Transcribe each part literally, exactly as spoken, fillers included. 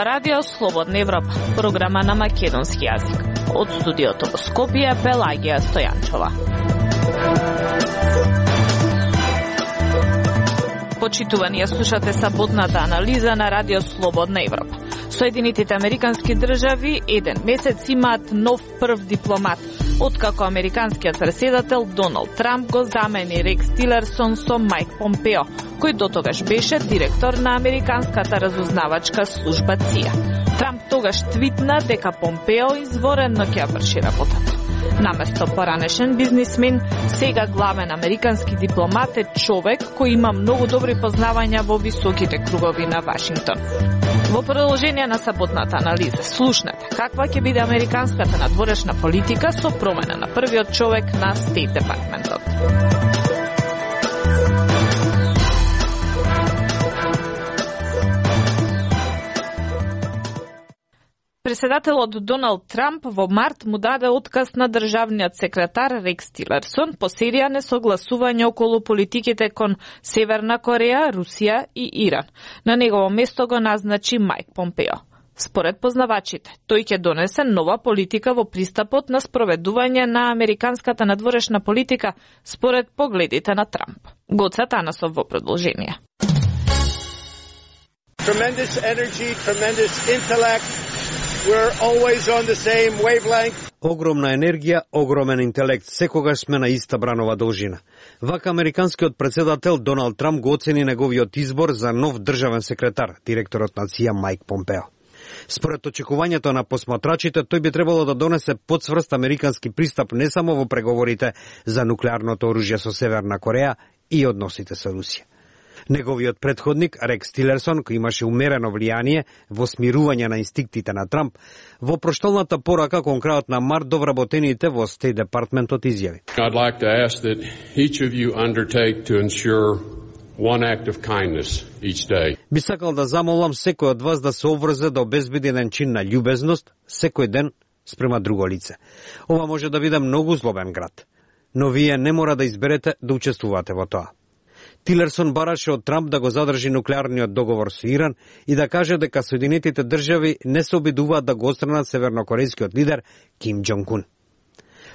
Ова радио Слободна Европа, програма на македонски јазик. Од студиото во Скопје, Пелагија Стојанчова. Почитувани, ја слушате саботната анализа на радио Слободна Европа. Соединетите американски држави еден месец имаат нов прв дипломат, откако американскиот претседател Доналд Трамп го замени Рекс Тилерсон со Майк Помпео, кој дотогаш беше директор на американската разузнавачка служба Ц И А. Трамп тогаш твитна дека Помпео изворено ќе ја врши работата. Наместо поранешен бизнисмен, сега главен американски дипломат е човек кој има многу добри познавања во високите кругови на Вашингтон. Во продолжение на саботната анализа, слушнете каква ќе биде американската надворешна политика со промена на првиот човек на Стейт Департментот. Председателот Доналд Трамп во март му даде отказ на државниот секретар Рекс Тилерсон по серија несогласување околу политиките кон Северна Кореја, Русија и Иран. На негово место го назначи Майк Помпео. Според познавачите, тој ќе донесе нова политика во пристапот на спроведување на американската надворешна политика според погледите на Трамп. Гоца Танасов во продолжение. Tremendous energy, tremendous intellect. We're always on the same wavelength. Огромна енергија, огромен интелект, секогаш сме на иста бранова должина. Вака американскиот претседател Доналд Трамп го оцени неговиот избор за нов државен секретар, директорот на Ц И А Майк Помпео. Според очекувањето на посматрачите, тој би требало да донесе подсврст американски пристап не само во преговорите за нуклеарното оружје со Северна Кореја и односите со Русија. Неговиот предходник, Рекс Тилерсон, кој имаше умерено влијание во смирување на инстинктите на Трамп, во проштолната порака кон крајот на март до вработените во Стейт Департментот изјави. I'd like to ask that each of you undertake to ensure one act of kindness each day. Би сакал да замолам секој од вас да се обврзе да обезбеди еден чин на љубезност секој ден спрема друго лице. Ова може да биде многу злобен град, но вие не мора да изберете да учествувате во тоа. Тилерсон бараше од Трамп да го задржи нуклеарниот договор со Иран и да каже дека Соединетите држави не се обидуваат да го отстранат севернокорејскиот лидер Ким Џонг Ун.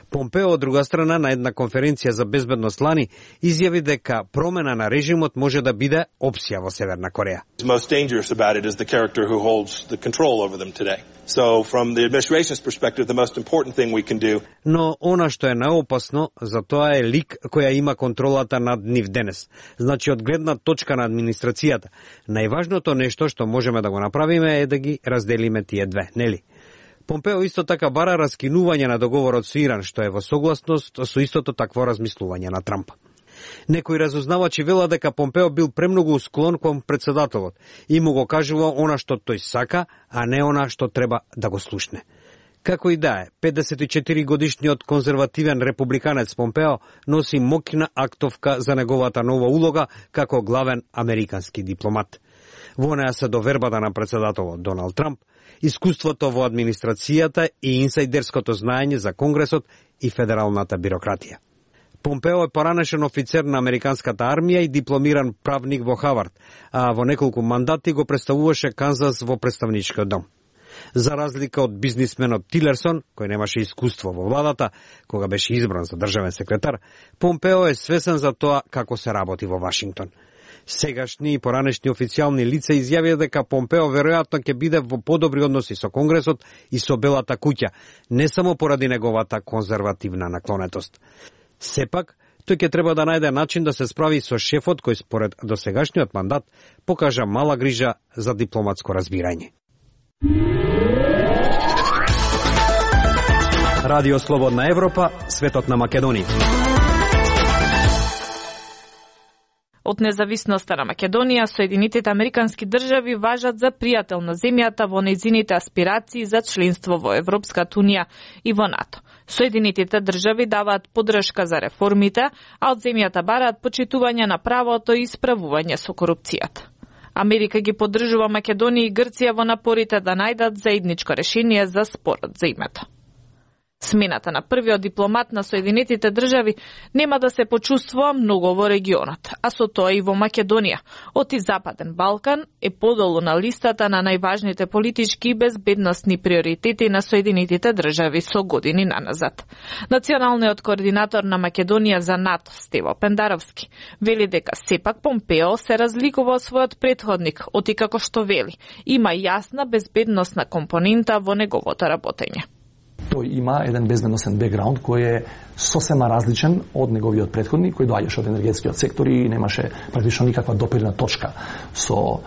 Помпео, од друга страна, на една конференција за безбедност лани, изјави дека промена на режимот може да биде опција во Северна Кореја. Most dangerous about it is the character who holds the control over them today. So from the administration's perspective, the most important thing we can do. Но она што е наопасно за тоа е лик која има контролата над нив денес. Значи, од гледна точка на администрацијата, најважното нешто што можеме да го направиме е да ги разделиме тие две, нели? Помпео исто така бара раскинување на договорот со Иран, што е во согласност со истото такво размислување на Трамп. Некои разузнавачи велат дека Помпео бил премногу склон кон претседателот и му го кажува она што тој сака, а не она што треба да го слушне. Како и да е, педесет и четири годишниот конзервативен републиканец Помпео носи моќна актовка за неговата нова улога како главен американски дипломат. Во неа се довербата на претседателот Доналд Трамп, искуството во администрацијата и инсайдерското знаење за Конгресот и федералната бирократија. Помпео е поранешен офицер на американската армија и дипломиран правник во Хавард, а во неколку мандати го представуваше Канзас во представничкиот дом. За разлика од бизнисменот Тилерсон, кој немаше искуство во владата, кога беше избран за државен секретар, Помпео е свесен за тоа како се работи во Вашингтон. Сегашни и поранешни официјални лица изјавија дека Помпео веројатно ќе биде во подобри односи со Конгресот и со Белата куќа, не само поради неговата конзервативна наклонетост. Сепак, тој ќе треба да најде начин да се справи со шефот кој според досегашниот мандат покажа мала грижа за дипломатско разбирање. Радио Слободна Европа, светот на Македонија. Од независноста на Македонија, Соединетите американски држави важат за пријател на земјата во нејзините аспирации за членство во Европската унија и во НАТО. Соединетите држави даваат поддршка за реформите, а од земјата бараат почитување на правото и исправување со корупцијата. Америка ги поддржува Македонија и Грција во напорите да најдат заедничко решение за спорот за името. Смената на првиот дипломат на Соединетите држави нема да се почувствува многу во регионот, а со тоа и во Македонија. Оти Западен Балкан е подолу на листата на најважните политички и безбедносни приоритети на Соединетите држави со години наназад. Националниот координатор на Македонија за НАТО, Стево Пендаровски, вели дека сепак Помпео се разликува од својот претходник, оти како што вели, има јасна безбедносна компонента во неговото работење. Тој има еден безбедносен бекграунд кој е сосема различен од неговиот претходник, кој доаѓаше од енергетскиот сектор и немаше практично никаква допирна точка со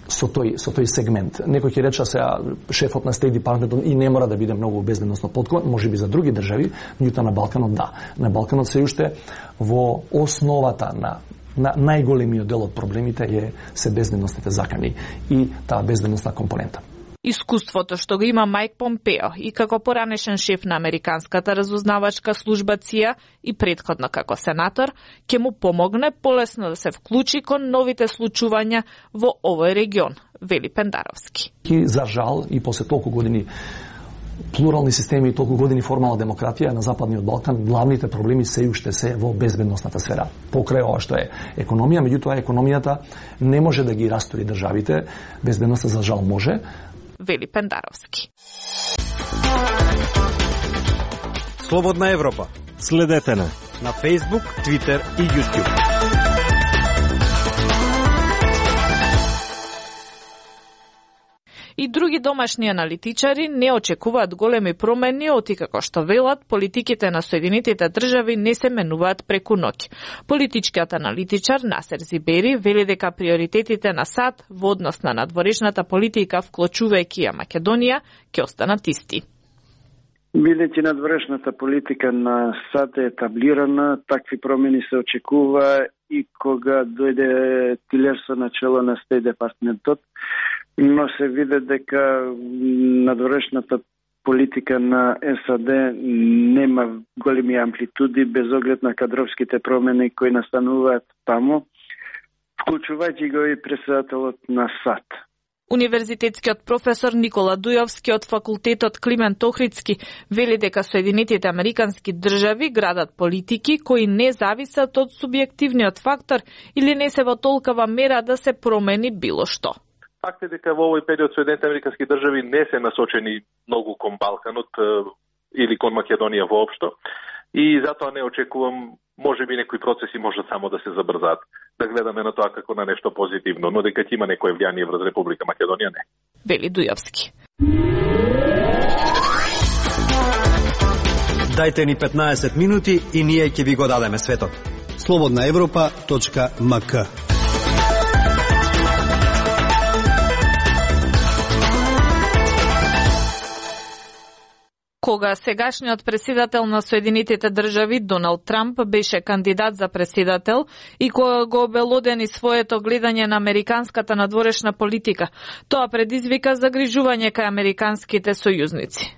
со тој со тој сегмент. Некој ќе рече сега шефот на State Department и не мора да биде многу безбедносно подкован, можеби за други држави, меѓутоа на Балканот да. На Балканот се уште во основата на на најголемиот дел од проблемите е се безбедносните закани и таа безбедносна компонента. Искуството што го има Мајк Помпео и како поранешен шеф на американската разузнавачка служба Ц И А и претходно како сенатор, ќе му помогне полесно да се вклучи кон новите случувања во овој регион, вели Пендаровски. И за жал и после толку години плурални системи и толку години формална демократија на Западниот Балкан, главните проблеми се уште се во безбедносната сфера. Покрај ова што е економија, меѓутоа економијата не може да ги растури државите, безбедноста за жал може, вели Пендаровски. Слободна Европа. Следете на на Facebook, Twitter и YouTube. И други домашни аналитичари не очекуваат големи промени, оти како што велат, политиките на Соединетите држави не се менуваат преку ноќ. Политичкиот аналитичар Насер Зибери вели дека приоритетите на САД во однос на надворешната политика, вклучувајќи ја Македонија, ќе останат исти. Бидејќи надворешната политика на САД е етаблирана, такви промени се очекува и кога дојде Тилерсон на чело на State Department-от, но се виде дека надворешната политика на САД нема големи амплитуди без оглед на кадровските промени кои настануваат таму, вклучувајќи го и претседателот на САД. Универзитетскиот професор Никола Дујовски од факултетот Климент Охридски вели дека Соединетите американски држави градат политики кои не зависат од субјективниот фактор или не се во толкова мера да се промени било што. Факт е дека во овој период Соединетите американски држави не се насочени многу кон Балканот или кон Македонија воопшто и затоа не очекувам, можеби некои процеси можат само да се забрзаат. Да гледаме на тоа како на нешто позитивно, но дека ќе има некое влијание врз Република Македонија не. Вели Дујовски. Дајте ни петнаесет минути и ние ќе ви го дадеме светот. слободна европа точка ем ка. Кога сегашниот претседател на Соединетите држави Доналд Трамп беше кандидат за претседател и кога го обелодени своето гледање на американската надворешна политика, тоа предизвика загрижување кај американските сојузници.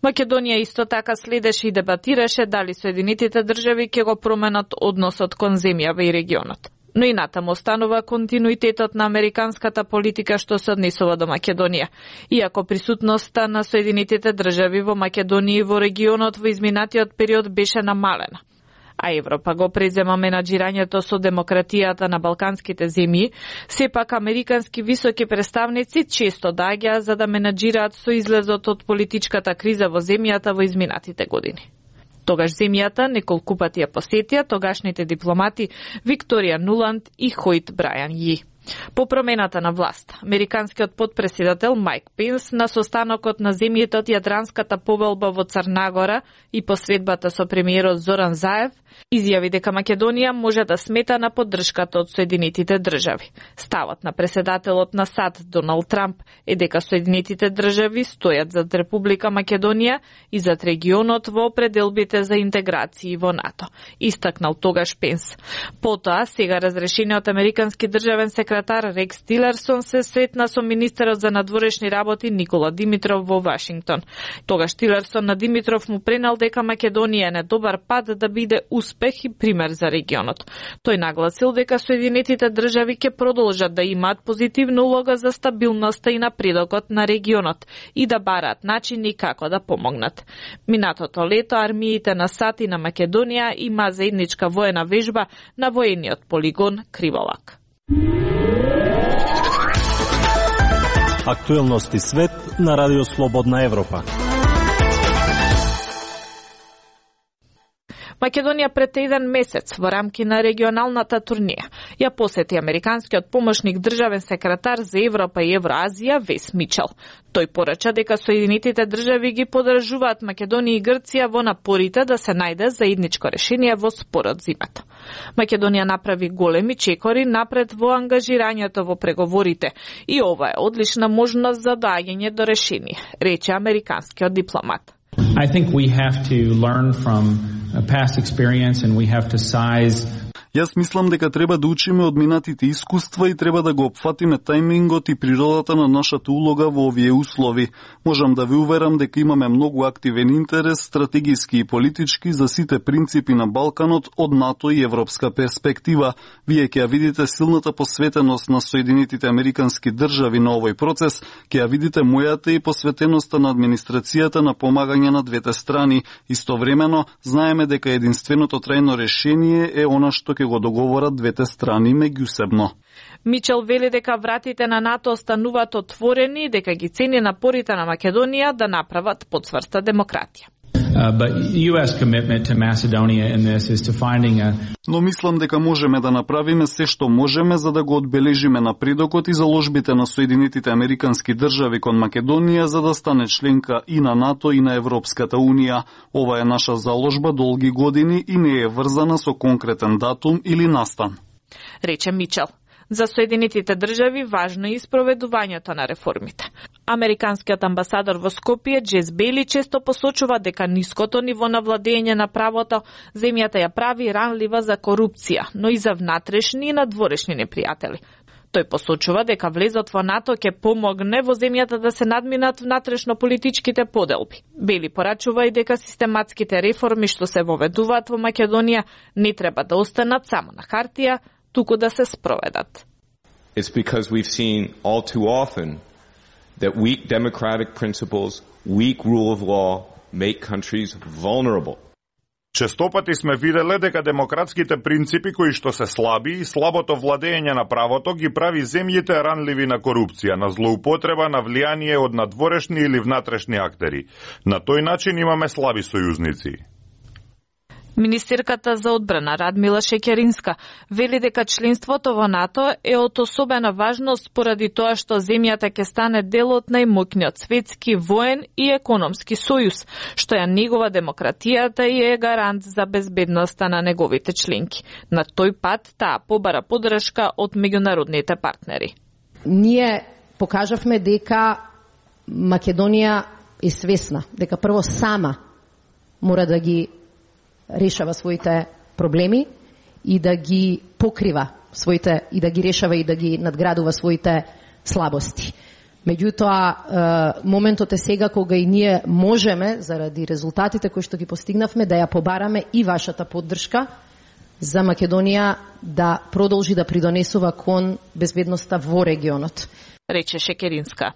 Македонија исто така следеше и дебатираше дали Соединетите држави ќе го променат односот кон земјава и регионот. Но и натаму останува континуитетот на американската политика што се однесува до Македонија, иако присутноста на Соединетите држави во Македонија и во регионот во изминатиот период беше намалена. А Европа го презема менаџирањето со демократијата на балканските земји, сепак американски високи представници често доаѓаат за да менаџираат со излезот од политичката криза во земјата во изминатите години. Тогаш земјата неколку пати ја посетија тогашните дипломати Викторија Нуланд и Хојт Брајан Ји. По промената на власт, американскиот потпредседател Мајк Пенс на состанокот на земјите од Јадранската повелба во Црнагора и посредбата со премиерот Зоран Заев изјави дека Македонија може да смета на поддршката од Соединетите држави. Ставот на претседателот на САД Доналд Трамп е дека Соединетите држави стојат зад Република Македонија и зад регионот во пределбите за интеграција во НАТО, истакнал тогаш Пенс. Потоа, сега разрешениот американски државен секретар секретар Рекс Тилерсон се сретна со министерот за надворешни работи Никола Димитров во Вашингтон. Тогаш Тилерсон на Димитров му пренел дека Македонија е на добар пат да биде успех и пример за регионот. Тој нагласил дека Соединетите држави ќе продолжат да имаат позитивна улога за стабилноста и напредокот на регионот и да бараат начини како да помогнат. Минатото лето армиите на САД и на Македонија има заедничка воена вежба на воениот полигон Криволак. Актуелности свет на Радио Слободна Европа. Македонија пред еден месец во рамки на регионалната турнија ја посети американскиот помошник државен секретар за Европа и Евроазија Вес Мичел. Тој порача дека Соединетите држави ги поддржуваат Македонија и Грција во напорите да се најде заедничко решение во спорот зимата. Македонија направи големи чекори напред во ангажирањето во преговорите и ова е одлична можност за доаѓање до решение, рече американскиот дипломат. I think we have to learn from past experience and we have to size. Јас мислам дека треба да учиме од минатите искуства и треба да го опфатиме тајмингот и природата на нашата улога во овие услови. Можам да ви уверам дека имаме многу активен интерес, стратегиски и политички, за сите принципи на Балканот од НАТО и европска перспектива. Вие ќе ја видите силната посветеност на Соединетите американски држави на овој процес, ќе ја видите мојата и посветеноста на администрацијата на помагање на двете страни. Истовремено, знаеме дека единственото трајно решение е она што ќе го договорат двете страни меѓусебно. Мичел вели дека вратите на НАТО остануваат отворени и дека ги цени напорите на Македонија да направат потврста демократија. Uh, but U S commitment to Macedonia in this is to finding a Но мислам дека можеме да направиме се што можеме за да го одбележиме напредокот и заложбите на Соединетите американски држави кон Македонија за да стане членка и на НАТО и на Европската унија. Ова е наша заложба долги години и не е врзана со конкретен датум или настан, рече Мичел. За Соединетите држави важно е испроведувањето на реформите. Американскиот амбасадор во Скопје Джес Бейли често посочува дека ниското ниво на владење на правото земјата ја прави ранлива за корупција, но и за внатрешни и надворешни непријатели. Тој посочува дека влезот во НАТО ќе помогне во земјата да се надминат внатрешно политичките поделби. Бели порачува и дека систематските реформи што се воведуваат во Македонија не треба да останат само на хартија, туку да се спроведат. It's because we've seen all too often that weak democratic principles, weak rule of law make countries vulnerable. Честопати сме виделе дека демократските принципи кои што се слаби и слабото владење на правото ги прави земјите ранливи на корупција, на злоупотреба, на влијание од надворешни или внатрешни актери. На тој начин имаме слаби сојузници. Министерката за одбрана Радмила Шекеринска вели дека членството во НАТО е од особена важност поради тоа што земјата ќе стане дел од најмоќниот светски воен и економски сојуз, што ја негова демократијата и е гарант за безбедноста на неговите членки. На тој пат таа побара поддршка од меѓународните партнери. Ние покажавме дека Македонија е свесна, дека прво сама мора да ги решава своите проблеми и да ги покрива своите и да ги решава и да ги надградува своите слабости. Меѓутоа, моментот е сега кога и ние можеме, заради резултатите кои што ги постигнавме, да ја побараме и вашата поддршка за Македонија да продолжи да придонесува кон безбедноста во регионот, рече Шекеринска.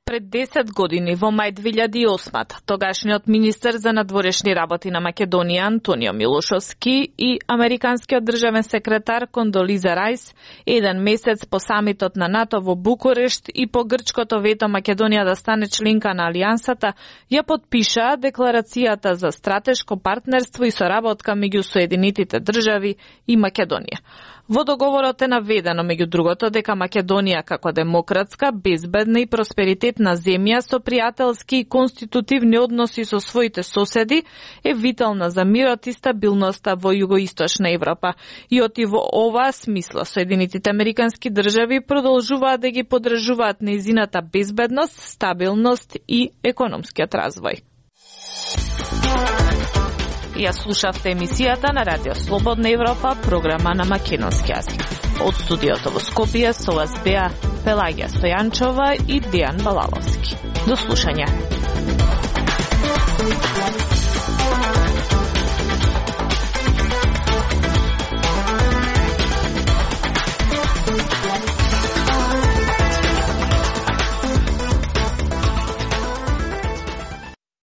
Пред десет години, во мај две илјади и осма, тогашниот министер за надворешни работи на Македонија Антонио Милошовски и американскиот државен секретар Кондолиза Рајс, еден месец по самитот на НАТО во Букурешт и по грчкото вето Македонија да стане членка на Алијансата, ја подпишаа декларацијата за стратешко партнерство и соработка меѓу Соединетите држави и Македонија. Во договорот е наведено, меѓу другото, дека Македонија како демократска, безбедна и просперитетна земја со пријателски и конститутивни односи со своите соседи е витална за мирот и стабилноста во југоисточна Европа. И оти во оваа смисла Соединетите американски држави продолжуваат да ги поддржуваат нејзината безбедност, стабилност и економскиот развој. Ја слушавте емисијата на Радио Слободна Европа, програма на македонски јазик. Од студиото во Скопје со вас беа Пелагија Стојанчова и Дијан Балаловски. До слушање.